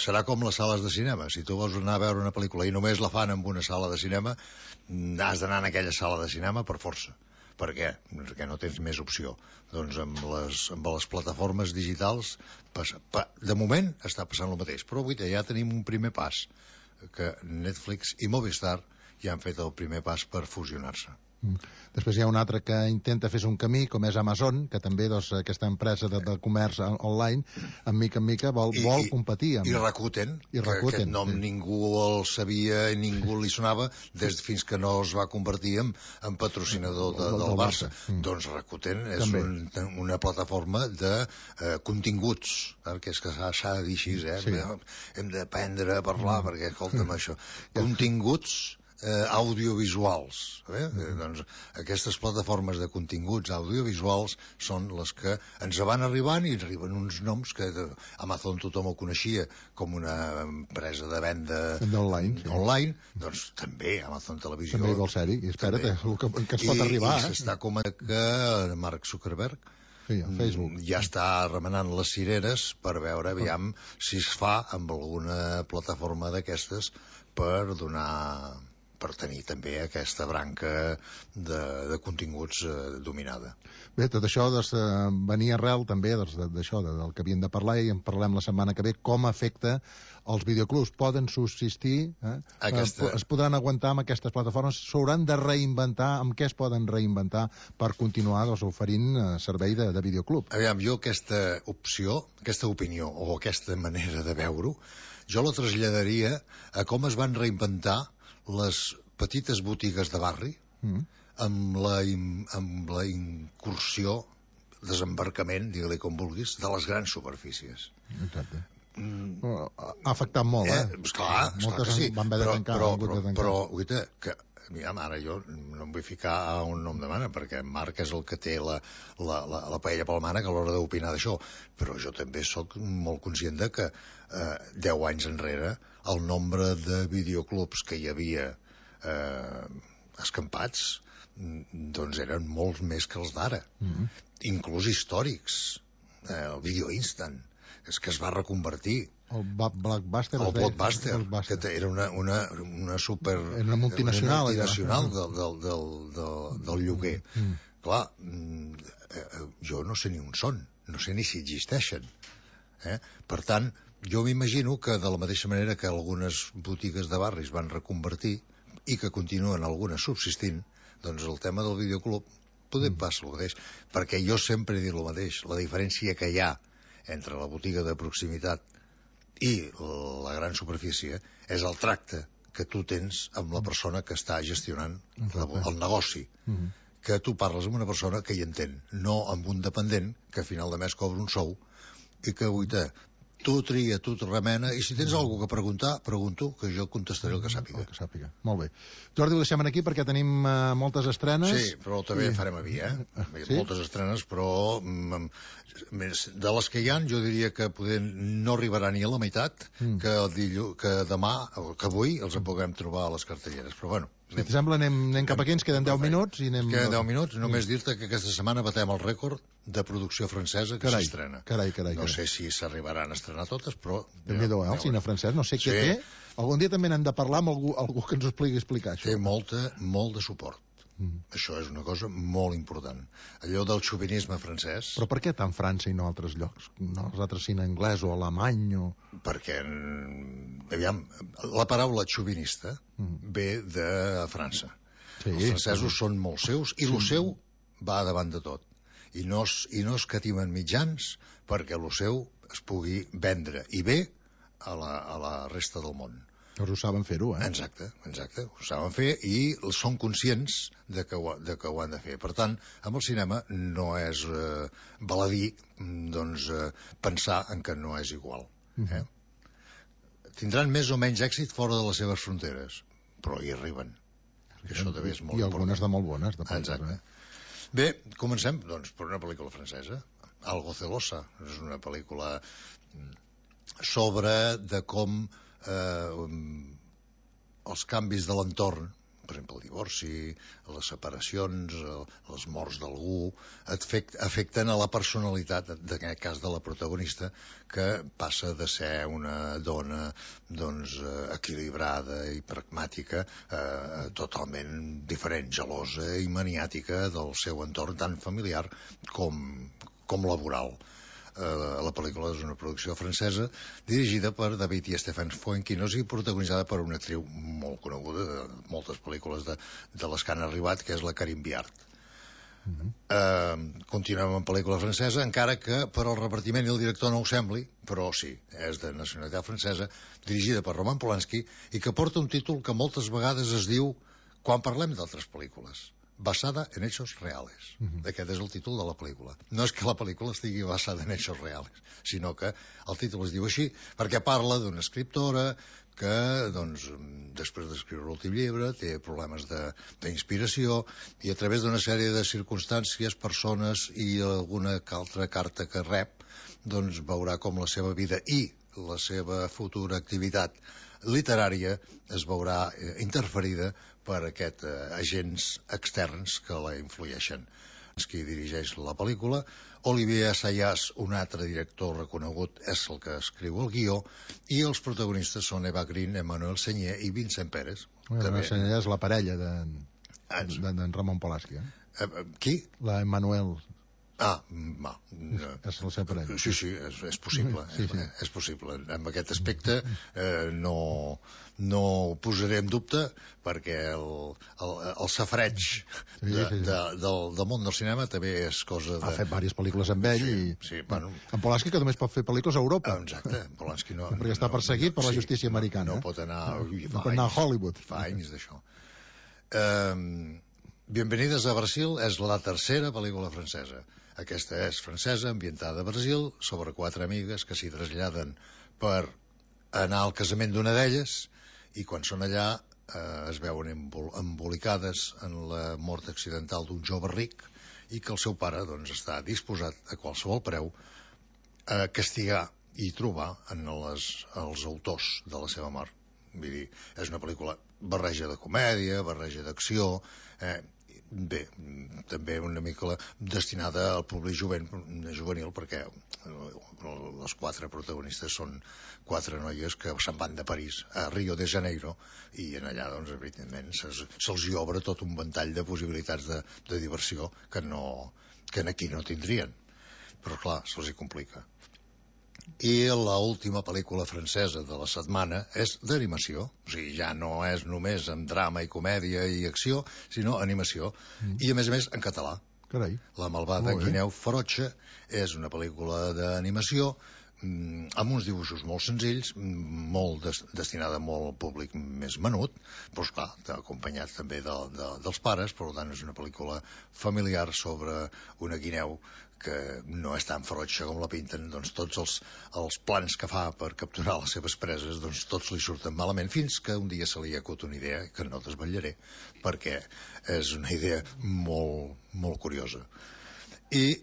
serà com les sales de cinema. Si tu vols anar a veure una pel·lícula i només la fan en una sala de cinema, has d'anar en aquella sala de cinema per força. Per què? Perquè no tens més opció. Doncs amb les plataformes digitals de moment està passant el mateix, però avui ja tenim un primer pas, que Netflix i Movistar ja han fet el primer pas per fusionar-se. Després hi ha un altre que intenta fer un camí, com és Amazon, que també aquesta empresa de comerç online, en mica vol competir amb... I Rakuten, que aquest nom ningú el sabia i ningú li sonava fins que no es va convertir en patrocinador del Barça. Doncs Rakuten és una plataforma de continguts, que és que s'ha de dir així, hem d'aprendre a parlar, perquè escolta'm això, continguts audiovisuals. Doncs aquestes plataformes de continguts audiovisuals són les que ens van arribant, i arriben uns noms que Amazon tothom ho coneixia com una empresa de venda online, doncs també Amazon Televisió també vol ser-hi, i espera't que ens pot arribar. I s'està comentant que Mark Zuckerberg Facebook ja està remenant les cireres per veure aviam si es fa amb alguna plataforma d'aquestes per tenir també aquesta branca de continguts dominada. Bé, tot això venia arrel també d'això, del que havíem de parlar, i en parlem la setmana que ve, com afecta els videoclubs. Poden subsistir, es podran aguantar amb aquestes plataformes, s'hauran de reinventar, amb què es poden reinventar per continuar oferint servei de videoclub? Aviam, jo aquesta opinió o aquesta manera de veure-ho, jo la traslladaria a com es van reinventar les petites botigues de barri amb la incursió, desembarcament, digue-li com vulguis, de les grans superfícies. Exacte. Ha afectat molt, Esclar que sí. Van haver de tancar. Però, guaita, que ara jo no em vull ficar a un nom de mana, perquè Marc és el que té la paella pel mànec a l'hora d'opinar d'això, però jo també sóc molt conscient de que 10 anys enrere el nombre de videoclubs que hi havia escampats doncs eren molts més que els d'ara, inclús històrics. El Video Instant és que es va reconvertir. El Blockbuster, que era una super... Era una multinacional del lloguer. Clar, jo no sé ni on són, no sé ni si existeixen. Per tant, jo m'imagino que de la mateixa manera que algunes botigues de barris van reconvertir i que continuen algunes subsistint, doncs el tema del videoclub podem passar el mateix, perquè jo sempre he dit el mateix, la diferència que hi ha entre la botiga de proximitat i la gran superfície és el tracte que tu tens amb la persona que està gestionant el negoci. Que tu parles amb una persona que hi entén, no amb un dependent que a final de mes cobra un sou i que tu tria, tu te remena, i si tens alguna que preguntar, pregunto, que jo contestaré el que sàpiga. Molt bé. Jordi, ho deixem aquí perquè tenim moltes estrenes. Sí, però també farem a vi, Sí? Moltes estrenes, però de les que hi ha, jo diria que no arribarà ni a la meitat, que demà, que avui, els en puguem trobar a les cartelleres. Però bueno, si et sembla, anem cap aquí, ens queden 10 minuts. Queden 10 minuts, només dir-te que aquesta setmana batem el rècord de producció francesa que s'estrena. Carai. No sé si s'arribaran a estrenar totes, però... Déu-n'hi-do, el cine francès, no sé què té. Algun dia també n'hem de parlar amb algú que ens ho pugui explicar, això. Té molt de suport. Això és una cosa molt important. Allò del xovinisme francès... Però per què tant França i no altres llocs? No els altres cine anglès o alemany o... Perquè, aviam, la paraula xovinista ve de França. Els francesos són molt seus i el seu va davant de tot. I no escatimen mitjans perquè el seu es pugui vendre i bé a la resta del món. Doncs ho saben fer-ho, Exacte, ho saben fer i són conscients de que ho han de fer. Per tant, amb el cinema no és baladí pensar en que no és igual. Tindran més o menys èxit fora de les seves fronteres, però hi arriben. Això també és molt important. I algunes de molt bones. Exacte. Bé, comencem, doncs, per una pel·lícula francesa, Algo celosa. És una pel·lícula sobre de com els canvis de l'entorn, per exemple el divorci, les separacions, les morts d'algú, afecten a la personalitat, en aquest cas de la protagonista, que passa de ser una dona equilibrada i pragmàtica totalment diferent, gelosa i maniàtica del seu entorn tan familiar com laboral. La pel·lícula és una producció francesa dirigida per David i Stéphane Fuenquinos i protagonitzada per una actriu molt coneguda de moltes pel·lícules de les que han arribat, que és la Karine Viard. Continuem amb pel·lícula francesa, encara que per al repartiment i el director no ho sembli, però sí, és de nacionalitat francesa, dirigida per Roman Polanski i que porta un títol que moltes vegades es diu quan parlem d'altres pel·lícules: basada en hechos reales. Aquest és el títol de la pel·lícula. No és que la pel·lícula estigui basada en hechos reales, sinó que el títol es diu així perquè parla d'una escriptora que, després d'escriure l'últim llibre, té problemes d'inspiració i a través d'una sèrie de circumstàncies, persones i alguna altra carta que rep, veurà com la seva vida i la seva futura activitat literària es veurà interferida per aquests agents externs que la influeixen. Qui dirigeix la pel·lícula, Olivier Assayas, un altre director reconegut, és el que escriu el guió, i els protagonistes són Eva Green, Emmanuel Seigner i Vincent Pérez. Emmanuel Seigner és la parella d'en Roman Polanski. Qui? La Emmanuel. És la seva parella. Sí, és possible. És possible. En aquest aspecte no ho posaré en dubte perquè el safreig del món del cinema també és cosa de... Ha fet diverses pel·lícules amb ell en Polanski, que només pot fer pel·lícules a Europa. Exacte, Polanski no... Perquè està perseguit per la justícia americana. No pot anar a Hollywood. Fa anys d'això. Bienvenides a Brasil és la tercera pel·lícula francesa. Aquesta és francesa, ambientada a Brasil, sobre 4 amigues que s'hi traslladen per anar al casament d'una d'elles i quan són allà es veuen embolicades en la mort accidental d'un jove ric i que el seu pare està disposat a qualsevol preu a castigar i trobar en els autors de la seva mort. Vull dir, és una pel·lícula barreja de comèdia, barreja d'acció, bé, també una mica destinada al públic juvenil perquè les 4 protagonistes són 4 noies que se'n van de París a Rio de Janeiro i en allà, evidentment, se'ls hi obre tot un ventall de possibilitats de diversió que aquí no tindrien. Però, clar, se'ls hi complica. I l'última pel·lícula francesa de la setmana és d'animació, o sigui, ja no és només amb drama i comèdia i acció, sinó animació, i a més en català. Carai. La malvada guineu ferotge és una pel·lícula d'animació amb uns dibuixos molt senzills, molt destinada a molt públic més menut, però esclar, acompanyat també dels pares. Per tant, és una pel·lícula familiar sobre una guineu que no és tan ferotge com la pinten. Doncs tots els plans que fa per capturar les seves preses, doncs tots li surten malament, fins que un dia se li acut una idea que no desvetllaré, perquè és una idea molt, molt curiosa. I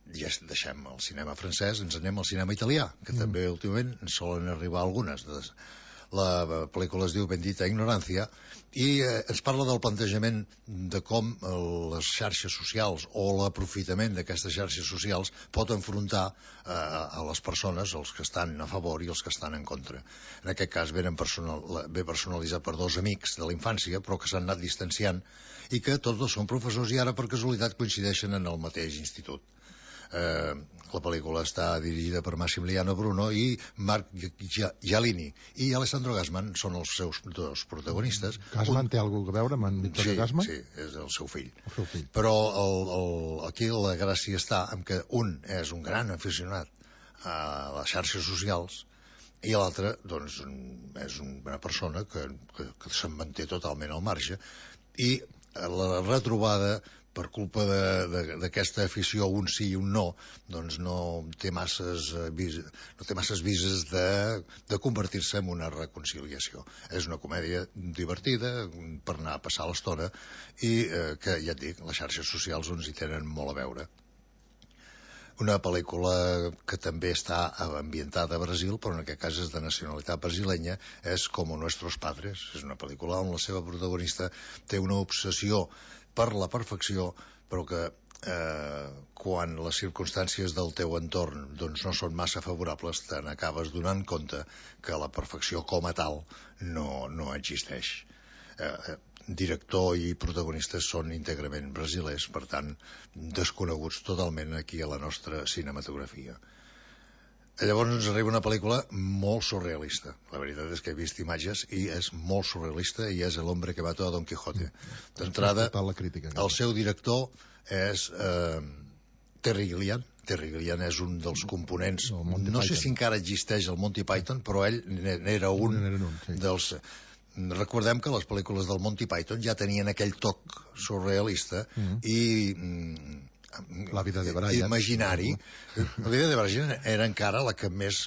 ja deixem el cinema francès, ens anem al cinema italià, que també últimament en solen arribar algunes. La pel·lícula es diu Bendita Ignorancia i ens parla del plantejament de com les xarxes socials o l'aprofitament d'aquestes xarxes socials pot enfrontar a les persones, els que estan a favor i els que estan en contra. En aquest cas ve personalitzat per dos amics de la infància, però que s'han anat distanciant i que tots dos són professors i ara per casualitat coincideixen en el mateix institut. La pel·lícula està dirigida per Massimiliano Bruno i Marc Giallini, i Alessandro Gassman són els seus dos protagonistes. Gassman té alguna cosa a veure amb en Vittorio Gassman? Sí, és el seu fill. Però aquí la gràcia està en que un és un gran aficionat a les xarxes socials i l'altre doncs, és una persona que se'n manté totalment al marge, i la retrobada per culpa d'aquesta afició, un sí i un no, doncs no té masses vises de convertir-se en una reconciliació. És una comèdia divertida per anar a passar l'estona i que, ja et dic, les xarxes socials hi tenen molt a veure. Una pel·lícula que també està ambientada a Brasil, però en aquest cas és de nacionalitat brasilenya, és Como Nuestros Padres. És una pel·lícula on la seva protagonista té una obsessió per la perfecció, però que quan les circumstàncies del teu entorn doncs, no són massa favorables, te n'acabes donant compte que la perfecció com a tal no existeix. Director i protagonistes són íntegrament brasilers, per tant, desconeguts totalment aquí a la nostra cinematografia. Llavors ens arriba una pel·lícula molt surrealista. La veritat és que he vist imatges i és molt surrealista, i és El hombre que mató a Don Quijote. D'entrada, el seu director és Terry Gilliam. Terry Gilliam és un dels components, no sé si encara existeix el Monty Python, però ell n'era un dels... Recordem que les pel·lícules del Monty Python ja tenien aquell toc surrealista i La vida de Brian imaginari. La vida de Brian era encara la que més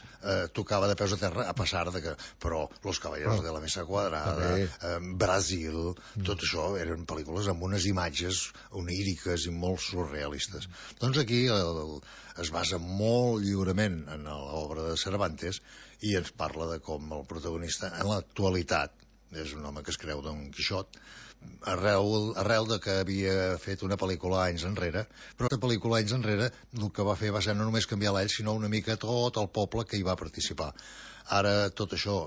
tocava de peus a terra, a pesar de que, però Los Caballeros de la Mesa Quadrada, Brasil, tot això eren pel·lícules amb unes imatges oníriques i molt surrealistes. Doncs aquí es basa molt lliurement en l'obra de Cervantes i ens parla de com el protagonista en l'actualitat és un home que es creu Don Quixot, arrel de que havia fet una pel·lícula anys enrere, però aquesta pel·lícula anys enrere el que va fer va ser no només canviar l'ell, sinó una mica tot el poble que hi va participar. Ara tot això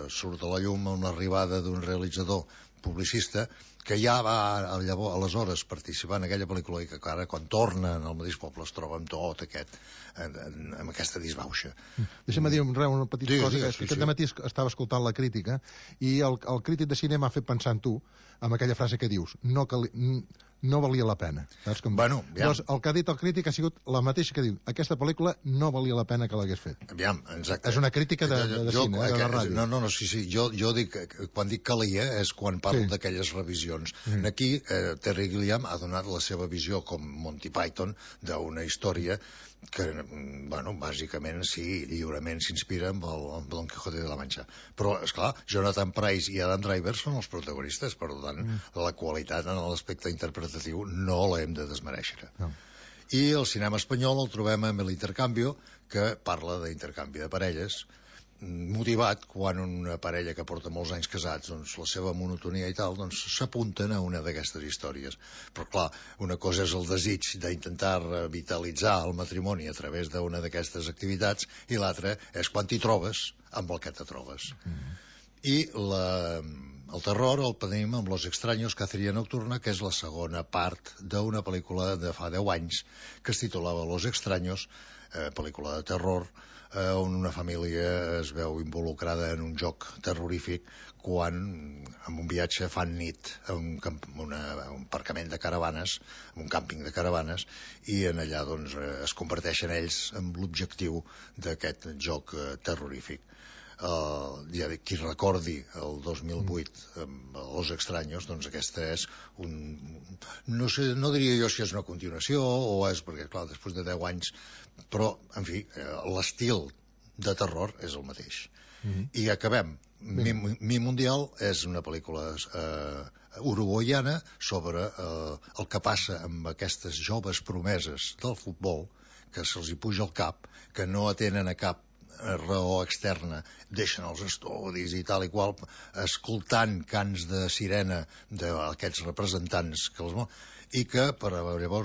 surt a la llum amb l'arribada d'un realitzador publicista que ja va aleshores participar en aquella pel·lícula i que ara quan torna al mateix poble es troba amb tot amb aquesta disbauxa. Deixa'm dir una petita cosa. Aquest dematí estava escoltant la crítica i el crític de cinema m'ha fet pensar en tu, amb aquella frase que dius, no valia la pena. Bueno, doncs el que ha dit el crític ha sigut la mateixa que diu, aquesta pel·lícula no valia la pena que l'hagués fet. Aviam, exacte. És una crítica de cine, de ràdio. No, sí. Jo dic, quan dic calia és quan parlo d'aquelles revisions. Aquí Terry Gilliam ha donat la seva visió com Monty Python d'una història que, bueno, bàsicament sí, lliurement s'inspira amb el Don Quijote de la Mancha. Però, esclar, Jonathan Pryce i Adam Driver són els protagonistes, per tant, la qualitat en l'aspecte interpretatiu no l'hem de desmereixer. I el cinema espanyol el trobem amb l'Intercambio, que parla d'intercanvi de parelles, motivat quan una parella que porta molts anys casats, doncs la seva monotonia i tal, doncs s'apunten a una d'aquestes històries. Però clar, una cosa és el desig d'intentar revitalitzar el matrimoni a través d'una d'aquestes activitats i l'altra és quan t'hi trobes amb el que te trobes. I El terror el tenim amb Los Extraños, Cacería Nocturna, que és la segona part d'una pel·lícula de fa 10 anys que es titulava Los Extraños, pel·lícula de terror, on una família es veu involucrada en un joc terrorífic quan, en un viatge, fan nit a un aparcament de caravanes, en un càmping de caravanes, i en allà doncs, es converteixen ells en l'objectiu d'aquest joc terrorífic. Qui recordi el 2008 amb Los Extraños, doncs aquesta és no sé, no diria jo si és una continuació o és perquè, clar, després de 10 anys, però, en fi, l'estil de terror és el mateix. I acabem. Mi Mundial és una pel·lícula uruguaiana sobre el que passa amb aquestes joves promeses del futbol, que se'ls hi puja al cap, que no atenen a cap raó externa, deixen els estudis i tal i qual, escoltant cants de sirena d'aquests representants i que llavors